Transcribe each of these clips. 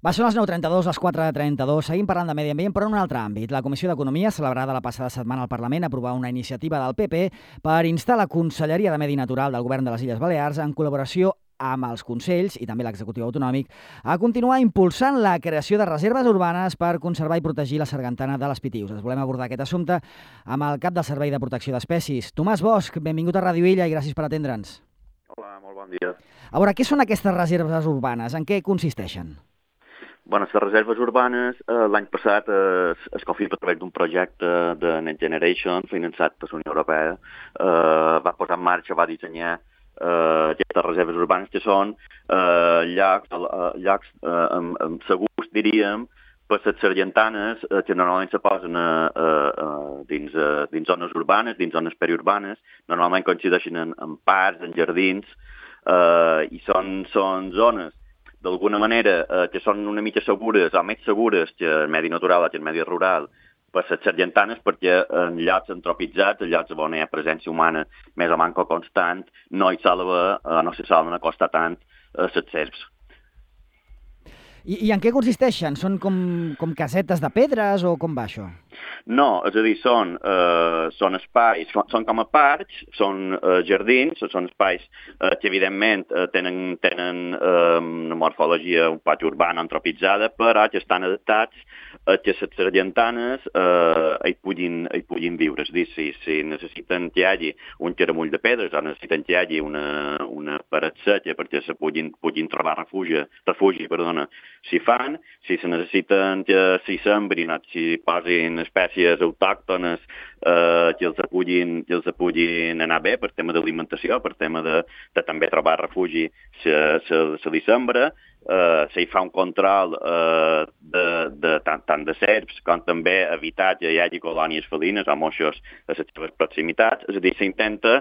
Són les 9:32, les 4:32. Seguim parlant de medi ambient, però en un altre àmbit. La Comissió d'Economia, celebrada la passada setmana al Parlament, aprovà una iniciativa del PP per instar la Conselleria de Medi Natural del Govern de les Illes Balears, en col·laboració amb els Consells i també l'executiu autonòmic, a continuar impulsant la creació de reserves urbanes per conservar i protegir la sargantana de les Pitiüses. Volem abordar aquest assumpte amb el cap del Servei de Protecció d'Espècies. Tomàs Bosch, benvingut a Ràdio Illa i gràcies per atendre'ns. Hola, molt bon dia. A veure, què són aquestes reserves urbanes? En què consisteixen? Bueno, les reserves urbanes l'any passat es confirma a través d'un projecte de Next Generation finançat per la Unió Europea. Va posar en marxa, va dissenyar aquestes reserves urbanes que són llocs segurs, diríem, per les sargentanes que normalment se posen dins zones urbanes, dins zones periurbanes, normalment coincideixen en parcs, en jardins, i són zones d'alguna manera que són una mica segures o més segures que el medi natural o que el medi rural per les sargentanes, perquè en llocs antropitzats, en llocs on hi ha presència humana més o manco constant, no se solen acostar tant les serps. I en què consisteixen? Són com casetes de pedres o com va això? No, és a dir, són espais, són com a parcs, són jardins, són espais que evidentment tenen una morfologia un poc urbana, antropitzada, però que estan adaptats a que les sargentanes hi puguin viure. És a dir, si necessiten que hi hagi un caramull de pedres o necessiten que hi hagi una paret seca perquè se puguin trobar refugi, si fan, si se necessiten que s'hi sembrin o s'hi posin espècies autòctones que els puguin anar bé per tema d'alimentació, per tema de també trobar refugi, se li sembra, s'hi fa un control tant de serps com també evitar que hi hagi colònies felines o moixos a les seves proximitats. És a dir, s'intenta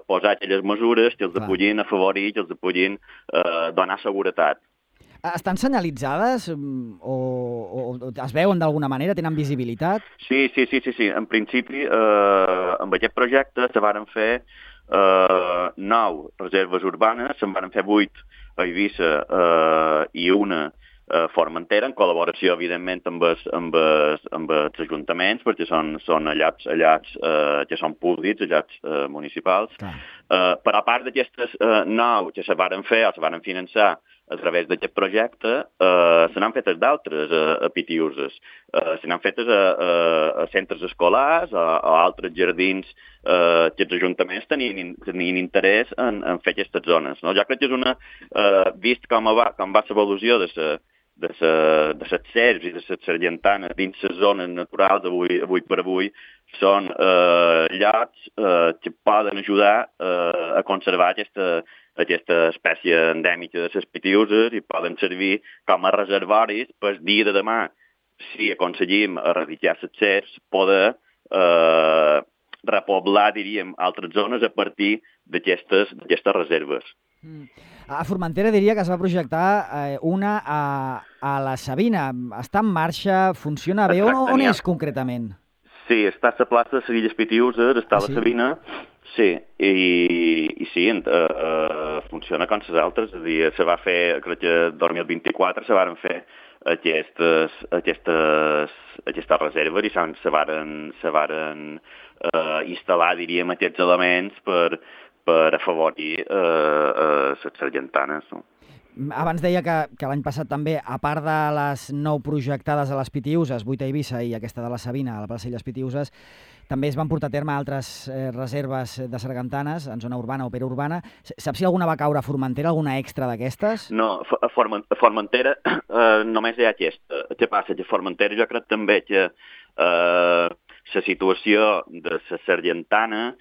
posar aquelles mesures que els puguin afavorir, que els puguin donar seguretat. Estan senyalitzades o es veuen d'alguna manera? Tenen visibilitat? Sí. En principi, amb aquest projecte se varen fer 9 reserves urbanes, se'n varen fer 8 a Eivissa i una a Formentera, en col·laboració, evidentment, amb els ajuntaments, perquè són llocs que són públics, llocs municipals. Per a part d'aquestes 9 que se varen fer o se varen finançar a través d'aquest projecte, se n'han fetes d'altres a Pitiüses. Se n'han fetes a centres escolars o a altres jardins que els ajuntaments tenien interès en fer aquestes zones. Jo crec que és vist com va l'evolució de les serps i de les sargentanes dins les zones naturals avui per avui, són llocs que poden ajudar a conservar aquesta espècie endèmica de les Pitiüses i poden servir com a reservoris per dia de demà, si aconseguim erradicar les serps, poder repoblar, diríem, altres zones a partir d'aquestes reserves. A Formentera diria que es va projectar una a la Sabina. Està en marxa? Funciona bé? On és concretament? Sí, està a la plaça de les Illes Pitiüses, està a la Sabina, sí, i sí, funciona com les altres. És a dir, se va fer, crec que el 2024 se varen fer aquestes reserves i se varen instal·lar, diríem, aquests elements per afavorir les sargentanes. Abans deia que l'any passat també, a part de les 9 projectades a les Pitiüses, 8 a Eivissa i aquesta de la Sabina, a la plaça Illes Pitiüses, també es van portar a terme altres reserves de sargantanes en zona urbana o periurbana. Saps si alguna va caure a Formentera, alguna extra d'aquestes? No, a Formentera només hi ha aquesta. Què passa? Que a Formentera jo crec també que la situació de la sargantana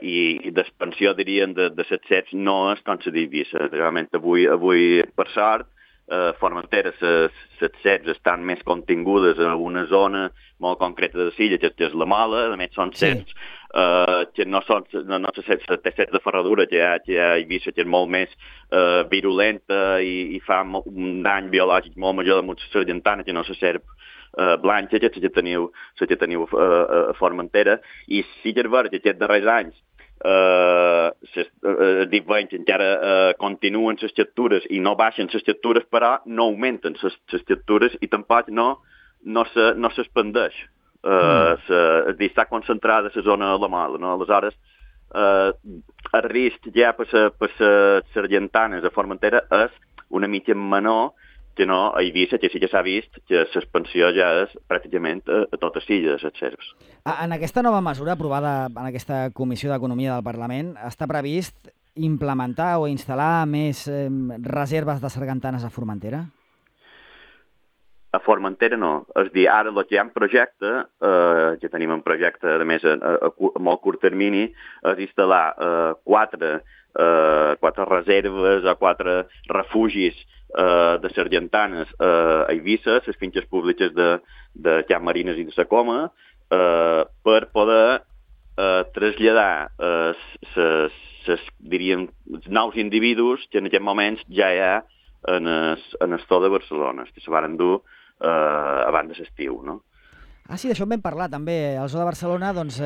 i d'expansió, diríem, de les serps no és com la d'Eivissa. Realment, avui, per sort, Formentera, les serps estan més contingudes en una zona molt concreta de l'illa, que és la Mola. A més, són serps que no són serps de ferradura, que hi ha a Eivissa, que és molt més virulenta i fa un dany biològic molt major damunt la sargantana, que no la serp blanca, que teniu a Formentera. I sí que és vera que aquests darrers anys dit veig, encara continuen les xactures i no baixen les xactures, però no augmenten les xactures i tampoc no s'expandeix. És dir, està concentrada a la zona de la mola, no? Aleshores, el risc ja per les sargentanes a Formentera és una mica menor que no a Eivissa, que sí que s'ha vist que l'expansió ja és pràcticament a totes illes, les serps. En aquesta nova mesura aprovada en aquesta Comissió d'Economia del Parlament està previst implementar o instal·lar més reserves de sargantanes a Formentera? A Formentera no. És dir, ara el que hi ha en projecte, que tenim en projecte, a més, a molt curt termini, és instal·lar quatre reserves o 4 refugis de sargantanes a Eivissa, les finques públiques de Can Marines i de la Coma, per poder traslladar diríem, els nous individus que en aquest moment ja hi ha en el Store de Barcelona, que se van dur abans de l'estiu, no? Ah, sí, d'això en vam parlar també. El Zoo de Barcelona doncs,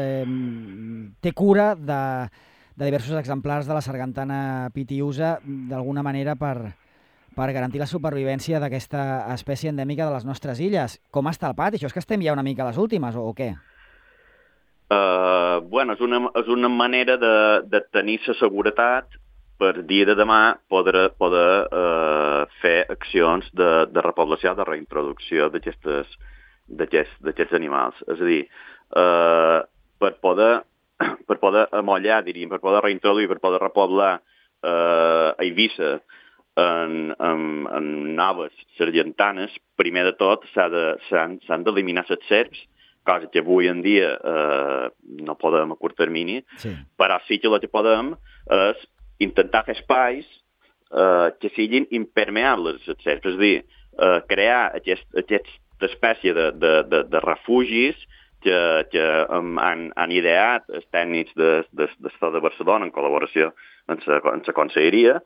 té cura de diversos exemplars de la sargantana pitiusa, d'alguna manera per garantir la supervivència d'aquesta espècie endèmica de les nostres illes. Com està el pati? Això és que estem ja una mica a les últimes, o què? Bueno, és una manera de tenir la seguretat per dia de demà poder fer accions de repoblació, de reintroducció d'aquests animals. És a dir, per poder amollar, diríem, per poder reintroduir, per poder repoblar a Eivissa en noves sargantanes, primer de tot s'han d'eliminar les serps, cosa que avui en dia no podem a curt termini, sí. Però sí que el que podem és intentar fer espais que siguin impermeables a les serps, és a dir, crear aquesta espècie de refugis que han ideat els tècnics de Store de Barcelona en col·laboració amb la conselleria,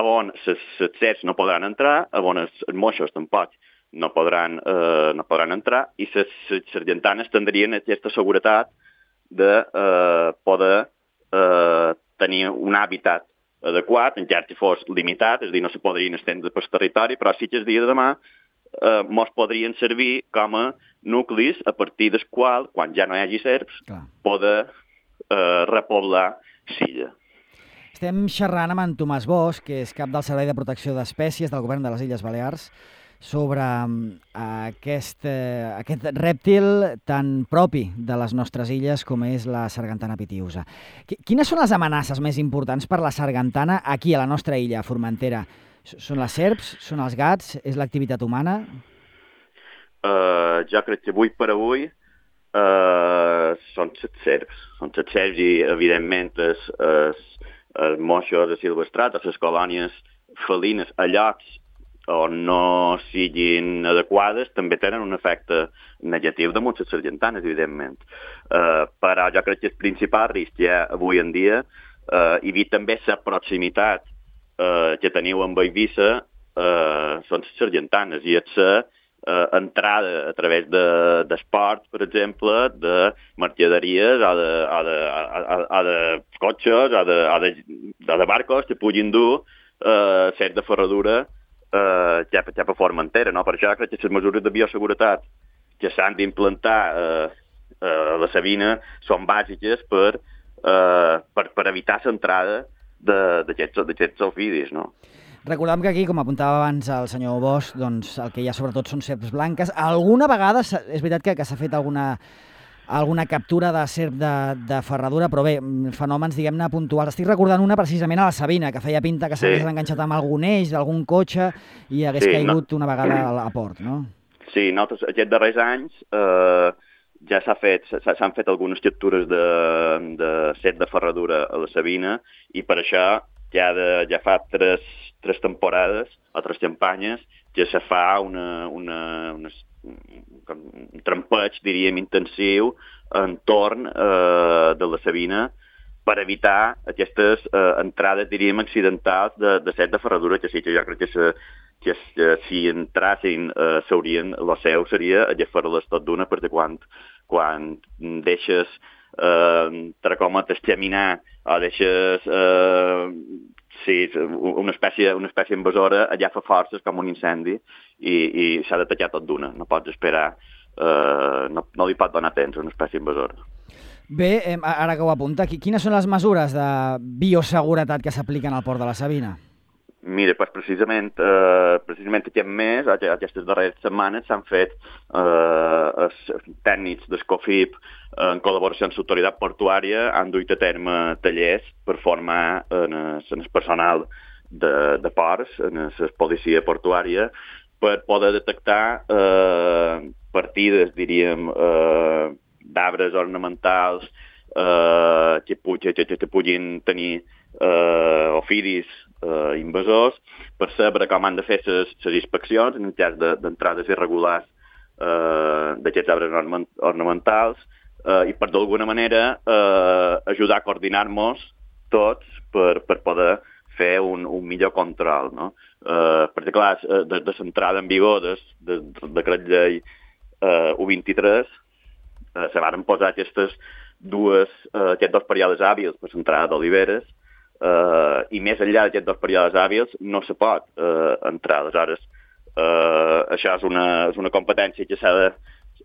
on les serps no podran entrar, on els moixos tampoc no podran entrar, i les sargantanes tindrien aquesta seguretat de poder tenir un hàbitat adequat, encara que fos limitat, és a dir, no se podrien estendre pel territori, però sí que el dia de demà mos podrien servir com a nuclis a partir del qual, quan ja no hi hagi serps, poder repoblar l'illa. Estem xerrant amb en Tomàs Bosch, que és cap del Servei de Protecció d'Espècies del Govern de les Illes Balears, sobre aquest rèptil tan propi de les nostres illes com és la sargantana pitiusa. Quines són les amenaces més importants per la sargantana aquí a la nostra illa, a Formentera? Són les serps? Són els gats? És l'activitat humana? Jo crec que avui per avui són les serps. Són les serps i, evidentment, els moixos silvestrats, les colònies felines a llocs on no siguin adequades, també tenen un efecte negatiu damunt les sargantanes, evidentment. Però jo crec que el principal risc ja avui en dia, i també la proximitat que teniu amb Eivissa, són les sargantanes, i és entrada a través d'esport, per exemple, de mercaderies o de cotxes o de barcos que puguin dur set de ferradura cap a Formentera, no? Per això crec que les mesures de bioseguretat que s'han d'implantar a la Sabina són bàsiques per evitar l'entrada d'aquests ofidis, no? Recordem que aquí, com apuntava abans el senyor Bosch, doncs el que hi ha sobretot són serps blanques. Alguna vegada és veritat que s'ha fet alguna captura de serp de ferradura, però bé, fenòmens, diguem-ne, puntuals. Estic recordant una precisament a la Sabina, que feia pinta que s'hagués enganxat amb algun eix d'algun cotxe i hagués caigut una vegada a port, no? Sí, nosaltres aquests darrers anys ja s'han fet algunes captures de serp de ferradura a la Sabina, i per això ja fa tres temporades o 3 campanyes que se fa un trampeig, diríem, intensiu entorn de la Sabina per evitar aquestes entrades, diríem, accidentals de serp de ferradura, que sí que jo crec que si entrassin el seu seria agafer-les tot d'una, perquè quan deixes entre cometes, xaminar o deixes una espècie invasora, allà fa forces com un incendi i s'ha de tallar tot d'una. No pots esperar, no li pot donar temps a una espècie invasora. Bé, ara que ho apunta, quines són les mesures de bioseguretat que s'apliquen al Port de la Sabina? Mira, doncs precisament aquest mes, aquestes darreres setmanes, s'han fet tècnics d'Escofip en col·laboració amb l'autoritat portuària, han duit a terme tallers per formar en el personal de ports, en la policia portuària, per poder detectar partides, diríem, d'arbres ornamentals que puguin tenir ofidis invasors, per saber com han de fer les inspeccions en el cas d'entrades irregulars d'aquests arbres ornamentals i per d'alguna manera ajudar a coordinar-nos tots per poder fer un millor control, no? Perquè, clar, des de l'entrada en vigor del decret llei 123 se van posar aquests dos períodes hàbils per l'entrada d'oliveres i més enllà d'aquests dos períodes hàbils no se pot entrar. Aleshores, això és una competència que s'ha de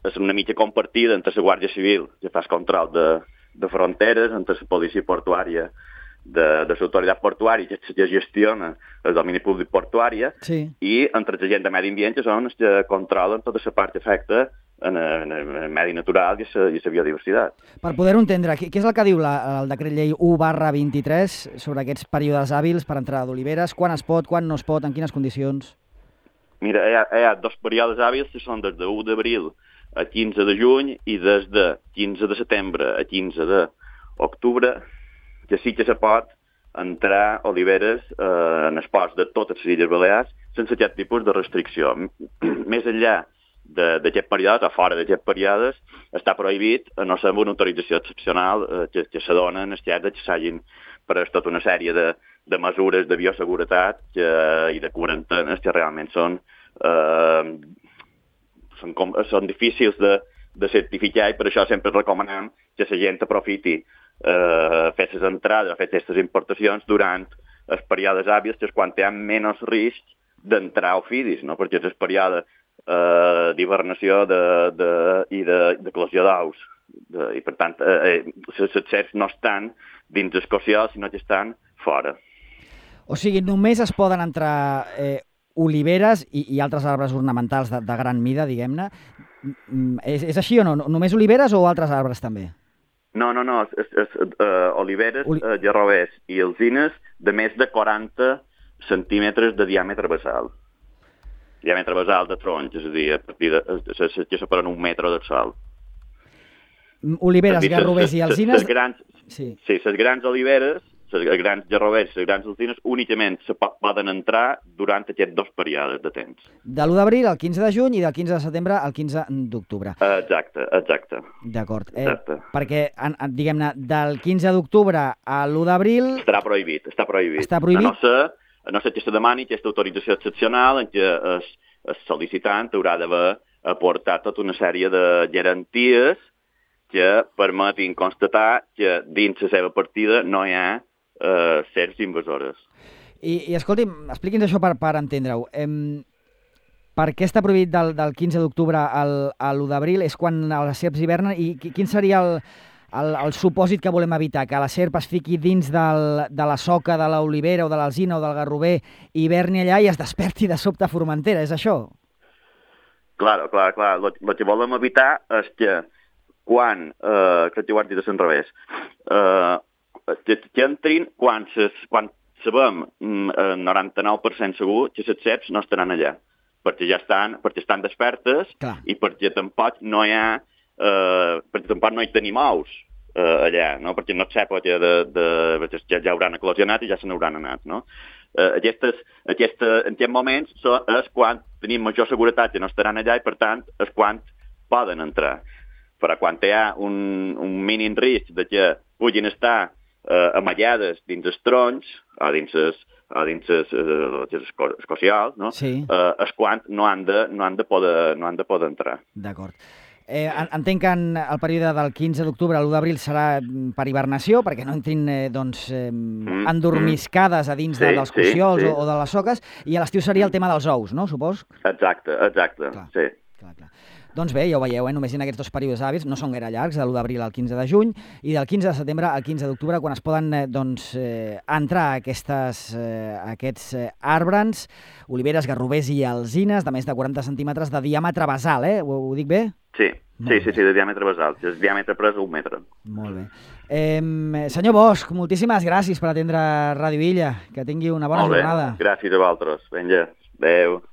és una mica compartida entre la Guàrdia Civil, que fa el control de fronteres, entre la policia portuària de l'autoritat portuària, que gestiona el domini públic portuària, sí, i entre la gent de medi ambient, que són els que controlen tota la part que afecta en el medi natural i la biodiversitat. Per poder-ho entendre, què és el que diu el decret llei 1/23 sobre aquests períodes hàbils per entrada d'oliveres? Quan es pot, quan no es pot, en quines condicions? Mira, hi ha dos períodes hàbils que són des de 1 d'abril a 15 de juny i des de 15 de setembre a 15 d'octubre, que sí que se pot entrar oliveres en els ports de totes les Illes Balears sense aquest tipus de restricció. Més enllà d'aquest període, o fora d'aquest període, està prohibit, a no ser amb una autorització excepcional que se dona en el cas que s'hagin pres tota una sèrie de mesures de bioseguretat i de quarantenes que realment són difícils de certificar, i per això sempre recomanem que la gent aprofiti fer les entrades o fer aquestes importacions durant els períodes hàbils, que és quan hi ha menys risc d'entrar ofidis, no? Perquè és el període d'hibernació i d'eclosió d'ous. I, per tant, els cercs no estan dins el cociol, sinó que estan fora. O sigui, només es poden entrar oliveres i altres arbres ornamentals de gran mida, diguem-ne. És així o no? Només oliveres o altres arbres també? No. Oliveres, gerrovers i alzines de més de 40 centímetres de diàmetre basal. Diàmetre basal de troncs, és a dir, a partir que separen 1 metre del sòl. Oliveres, gerrovers i alzines... Sí, les grans oliveres, els grans gerrovers i les grans alzines únicament se poden entrar durant aquests dos períodes de temps. De l'1 d'abril al 15 de juny i del 15 de setembre al 15 d'octubre. Exacte. D'acord. Perquè, diguem-ne, del 15 d'octubre a l'1 d'abril... Està prohibit. A no ser que se demani aquesta autorització excepcional en què el sol·licitant haurà d'haver aportat tota una sèrie de garanties que permetin constatar que dins la seva partida no hi ha serps invasores. I escolti'm, expliqui'ns això per entendre-ho. Per què està prohibit del 15 d'octubre a l'1 d'abril? És quan les serps hivernen? I quin seria el supòsit que volem evitar? Que la serp es fiqui dins de la soca de l'olivera o de l'alzina o del garrover, hiverni allà i es desperti de sobte a Formentera, és això? Clar. El que volem evitar és que quan, crec que ho han dit al revés, que entrin quan sabem 99% segur que les serps no estaran allà, perquè estan despertes. Clar. I perquè tampoc no hi ha tenim ous allà, no? Perquè no sap que ja hauran eclosionat i ja se n'hauran anat, no? En aquests moments és quan tenim major seguretat que no estaran allà i, per tant, és quan poden entrar. Però quan hi ha un mínim risc de que puguin estar amagades dins els troncs o dins els cocials, no? Sí. És quan no han de poder entrar. D'acord. Entenc que el període del 15 d'octubre a l'1 d'abril serà per hibernació, perquè no entrin endormiscades a dins dels cociols o de les soques, i a l'estiu seria el tema dels ous, no? Supos? Exacte, clar, sí. Clar. Doncs bé, ja ho veieu, només en aquests 2 períodes hàbils, no són gaire llargs, de l'1 d'abril al 15 de juny, i del 15 de setembre al 15 d'octubre, quan es poden entrar aquests arbres, oliveres, garrovers i alzines de més de 40 centímetres de diàmetre basal, Ho dic bé? Sí, de diàmetre basal. El diàmetre pres 1 metre. Molt bé. Senyor Bosch, moltíssimes gràcies per atendre Ràdio Illa. Que tingui una bona jornada. Gràcies a vosaltres. Vinga, adéu.